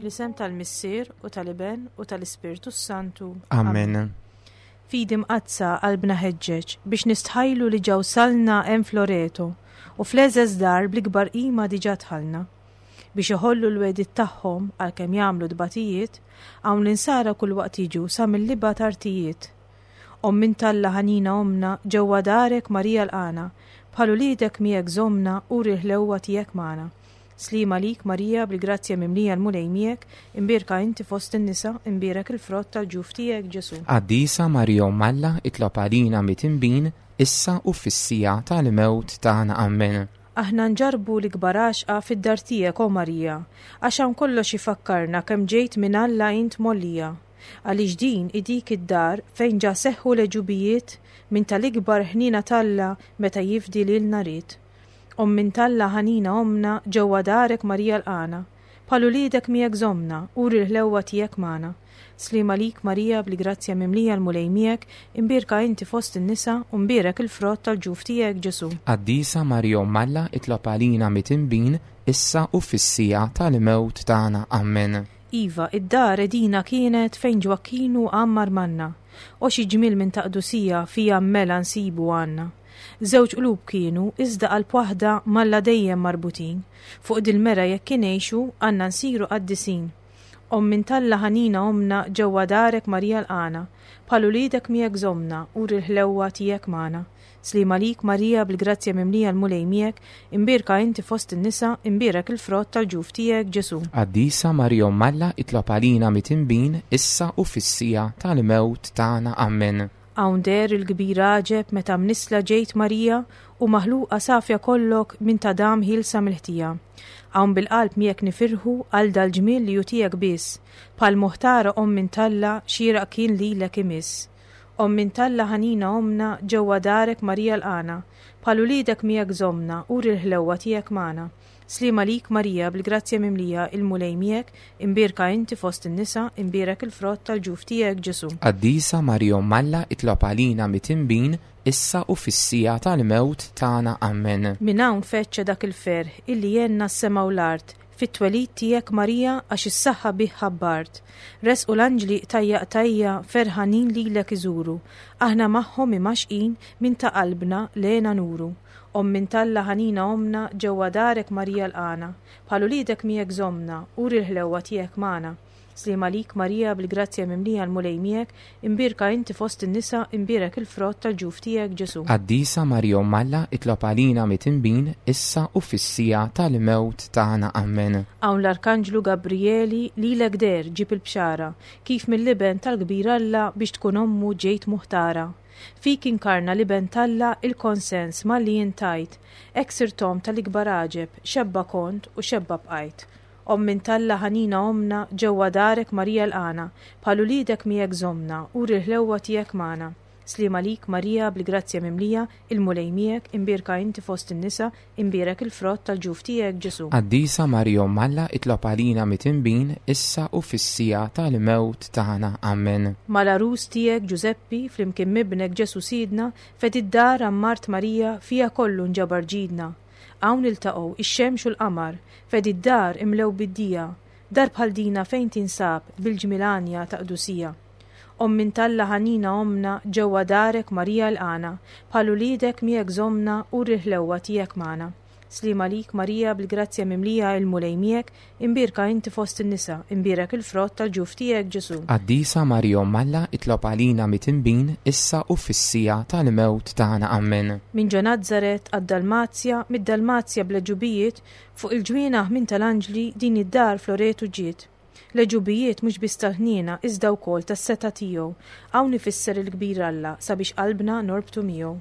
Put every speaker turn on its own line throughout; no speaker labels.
Fl-isem tal-Missier u tal-Iben u tal-Ispirtu s-Santu.
Amen.
Fidi mqaddsa qalbna ħeġġeġ biex nistħajlu li ġa wsalna hemm f'Loreto u fl-egħżeż dar bl-ikbar qima diġà dħalna. Biex iħollu l-wegħdiet tagħhom għalkemm jagħmlu tbatijiet, hawn l-insara kull waqt jiġu sa mill-ibgħad artijiet. Omm int Alla ħanina ommna, ġewwa darek Marija lqagħna, bħal uliedek miegħek żommna, uri l-ħlewwa tiegħek magħna. Sliem għalik Marija bil-grazzja mimlija l-Mulej miegħek, imbierka inti fost in-nisa, imbierek il-frott tal-ġuf tiegħek Ġesù.
Qaddisa Marija Omm Alla itlob għalina mitinbin, issa u fis-siegħa tal-mewt tagħna. Ammen.
Aħna nġarrbu l-ikbar għaxqa fid-dar tiegħek o Marija, għax hawn kollox ifakkarna kemm ġejt minn Alla int mgħollija. Għaliex din hi dik id-dar fejn ġa seħħu l-għeġubijiet minn tal-ikbar ħniena t'Alla meta jifdi lilna ried. Omm int Alla ħanina ommna ġewwa darek Marija lqagħna. Bħal uliedek miegħek żommna, uri l-ħlewwa tiegħek magħna. Sliem għalik Marija bil-grazzja mimlija l-Mulej miegħek, imbierka inti fost in-nisa u mbierek il-frott tal-ġuf tiegħek Ġesù.
Qaddisa Marija Omm Alla itlob għalina mitinbin, issa u fis-siegħa tal-mewt tagħna. Ammen.
Iva, id-dar edina kienet fejn Ġwakkinu għammar manna. O xi ġmiel minn ta' qdusija fiha mela nsibu għandna. Żewġ qlub kienu, iżda qalb waħda m'Alla dejjem marbutin. Fuq dil-mera jekk ingħixu, għandna nsiru qaddisin. Omm int Alla ħanina ommna ġewwa darek Marija lqagħna. Bħal uliedek miegħek żommna, uri l-ħlewwa tiegħek magħna. Sliem għalik Marija bil-grazzja mimlija l-Mulej miegħek, imbierka inti fost in-nisa, imbierek il-frott tal-ġuf tiegħek Ġesù.
Qaddisa Marija Omm Alla itlob għalina mitinbin issa u fis-siegħa tal-mewt tagħna. Ammen.
Hawn deher il-kbir għaġeb meta mnissla ġejt Marija u maħluqa safja kollok minn t'Adam ħielsa mill-ħtija. Hawn bil-qalb miegħek nifirħu għal dal-ġmiel li hu tiegħek biss, bħal moħtara Omm int Alla xieraq kien lilek imiss. Omm int Alla ħanina ommna ġewwa darek Marija lqagħna, bħal uliedek miegħek żommna uri l-ħlewwa tiegħek magħna. Sliem għalik Marija bil-grazzja mimlija il-Mulej miegħek, imbierka inti fost in-nisa, imbierek il-frott tal-ġuf tiegħek Ġesù.
Qaddisa Marija Omm Alla itlob għalina mitinbin, issa u fis-siegħa tal-mewt tagħna. Ammen.
Minn hawn feċċa dak il-ferħ illi għenna s-sema u l-art fit-twelid tiegħek Marija għax is-saħħa bih ħabbart. Resqu l-anġli qtajja' qtajja' ferħanin lilek iżuru, aħna magħhom imgħaxqin minn ta' qalbna l-hena nuru. Omm int Alla ħanina ommna ġewwa darek Marija lqagħna, bħal uliedek miegħek żommna, uri l-ħlewwa tiegħek magħna. Sliem għalik Marija bil-grazzja mimlija l-Mulej miegħek, imbierka inti fost in-nisa, imbierek il-frott tal-ġuf tiegħek Ġesù.
Qaddisa Marija Omm Alla itlob għalina mitinbin issa u fis-siegħa tal-mewt tagħna. Ammen.
Hawn l-Arkanġlu Gabrijeli lilek deher ġieb il-bxara, kif mill-Iben tal-kbir Alla biex tkun ommu ġejt muħtara. Fik inkarna l-Iben t'Alla il-konsens malli int tgħid, Hekk sirt omm tal-ikbar għaġeb, xebba kont u xebba bqajt. Omm int Alla ħanina ommna, ġewwa darek Marija lqagħna, bħal uliedek miegħek żommna, uri l-ħlewwa tiegħek magħna. Sliem għalik Marija bil-grazzja mimlija, il-Mulej miegħek, imbierka inti fost in-nisa, Imbierek il-frott tal-ġuf tiegħek, Ġesù.
Qaddisa Marija Omm Alla itlob għalina mitinbin issa u fis-siegħa tal-mewt tagħna. Ammen.
Mal-għarus tiegħek Ġużeppi, flimkien m'ibnek Ġesù Sidna, fedi d-dar għammart Marija, fiha kollu nġabar ġidna. Hawn iltaqgħu ix-xemx u l-qamar, fedi d-dar imlew bid-dija. Dar bħal dina fejn tinsab, bil-ġmiel għanja ta' qdusija. Omm int Alla ħanina ommna ġewwa darek Marija ilqagħna, bħal uliedek miegħek żommna uri l-ħlewwa tiegħek magħna. Sliem għalik Marija bil-grazzja mimlija il-Mulej miegħek, imbierka inti fost in-nisa, imbierek il-frott tal-ġuf tiegħek Ġesù.
Qaddisa Marija Omm Alla itlob għalina mitinbin issa u fis-siegħa tal-mewt tagħna. Ammen.
Minn ġo Nazaret għad-Dalmazja, mid-Dalmazja bl-għeġubijiet, fuq il-ġwienaħ minn tal-anġli din id-dar f'Loretu ġiet. L-għeġubijiet mhux biss tal-ħniena iżda wkoll tas-setgħa tiegħu. Hawn ifisser il-kbir Alla sabiex qalbna norbtu miegħu.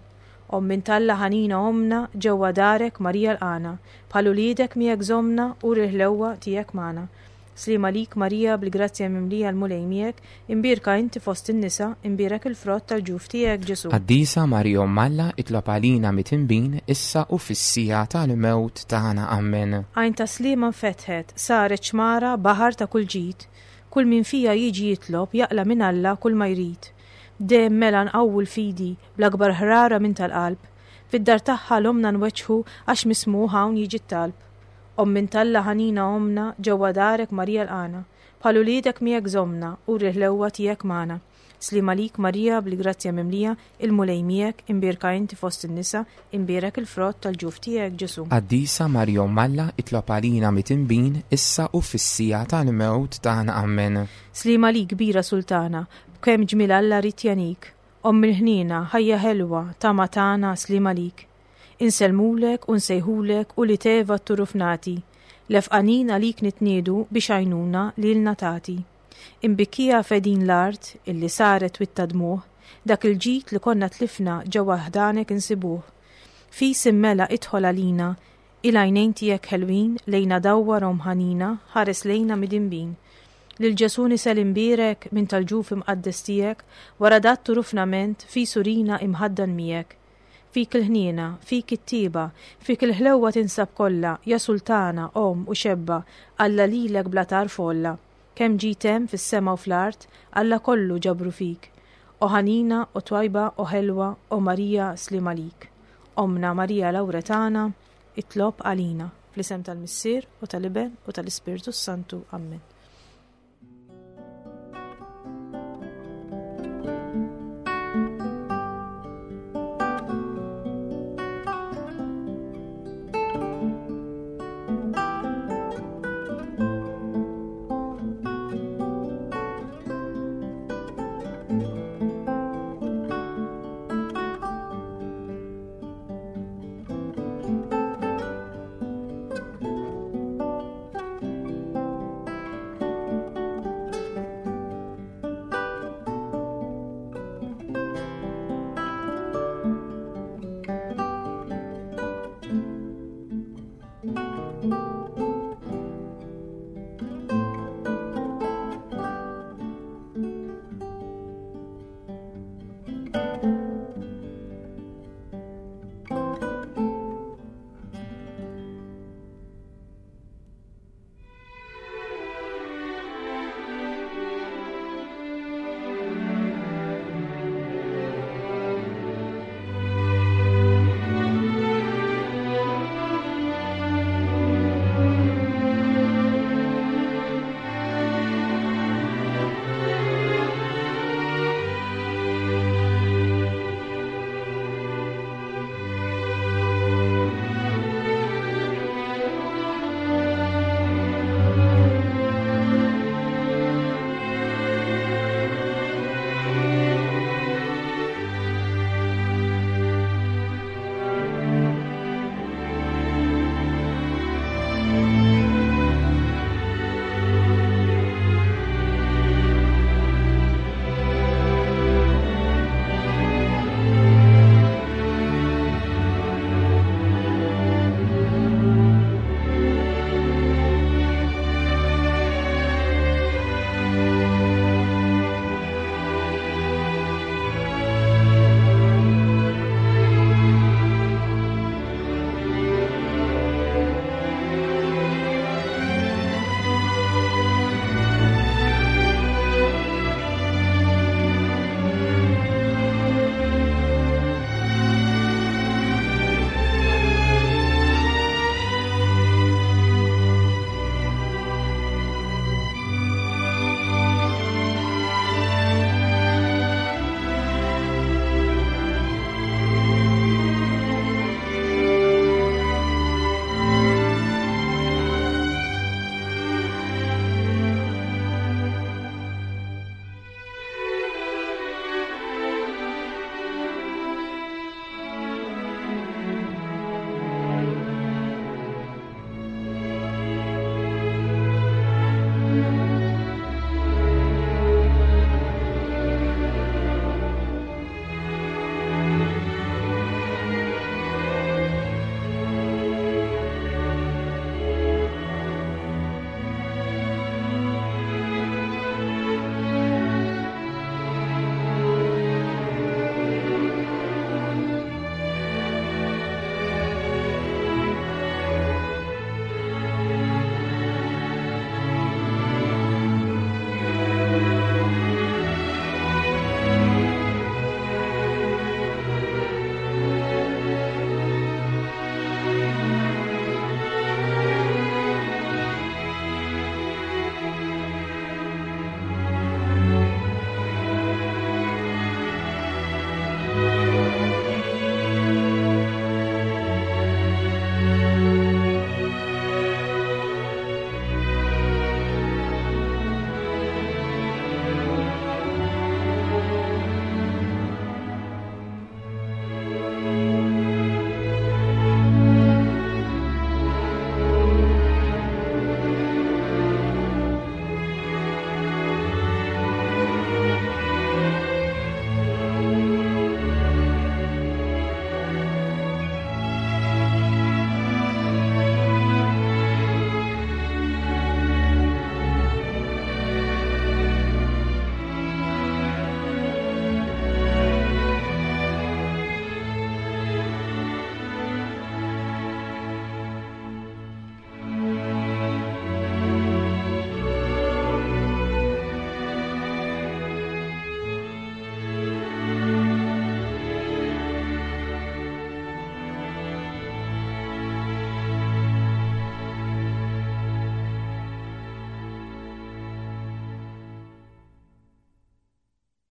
Omm int Alla ħanina ommna ġewwa darek Marija lqagħna, bħal uliedek miegħek żommna uri l-ħlewwa tiegħek magħna. Sliem għalik Marija bil-grazzja mimlija l-Mulej miegħek, imbierka inti fost in-nisa, imbierek il-frott tal-ġuf tiegħek Ġesù.
Qaddisa Marija Omm Alla itlob għalina mitinbin issa u fis-siegħa tal-mewt tagħna. Ammen.
Għajn ta' Sliema nfetħet, saret xmara, baħar ta' kull ġid. Kull min fiha jiġi jitlob, jaqla' minn Alla kull ma jrid. Dejjem mela nqawwu l-fidi, bl-akbar ħrara minn tal-qalb. Fid-dar tagħha 'l ommna nweġġħu għax mismugħ hawn jiġi t-talb. Omm int Alla ħanina ommna, ġewwa darek Marija lqagħna. Bħal uliedek miegħek żommna, uri l-ħlewwa tiegħek magħna. Sliem għalik Marija bil-grazzja mimlija, il-Mulej miegħek, imbierka inti fost in-nisa, imbierek il-frott tal-ġuf tiegħek Ġesù.
Qaddisa Marija Omm Alla, itlob għalina mitinbin, issa u fis-siegħa tal-mewt tagħna. Ammen.
Sliem għalik kbira Sultana, b'kemm ġmiel Alla ried jagħnik. Omm il-ħniena, ħajja ħelwa, tama tagħna, sliem għalik. Insellmulek u nsejħulek u li Eva t-turuf nagħti. Lefqanin għalik nitniedu biex għajnuna lilna tagħti. Imbikkija f'għedin l-art illi saret witta dmugħ, dak il-ġid li konna tlifna ġewwa ħdanek insibuh. Fis immela idħol għalina, il-għajnejn tiegħek ħelwin lejna dawwar omm ħanina ħares lejna midinbin. Lil Ġesù nisel imbierek minn tal-ġuf imqaddes tiegħek wara dat turufnament fis urina imħaddan miegħek. Fik il-ħniena, fik it-tieba, fik il-ħlewwa tinsab kollha, ja Sultana, Omm u Xebba, Alla lilek bla tarf għolla. Kemm ġid hemm fis-sema u fl-art, Alla kollu ġabru fik. O ħanina, o twajba, o ħelwa, o Marija, sliem għalik. Ommna Marija Lawretana, itlob għalina. Fl-isem tal-Missier, u tal-Iben, u tal-Ispirtu s-Santu. Ammen.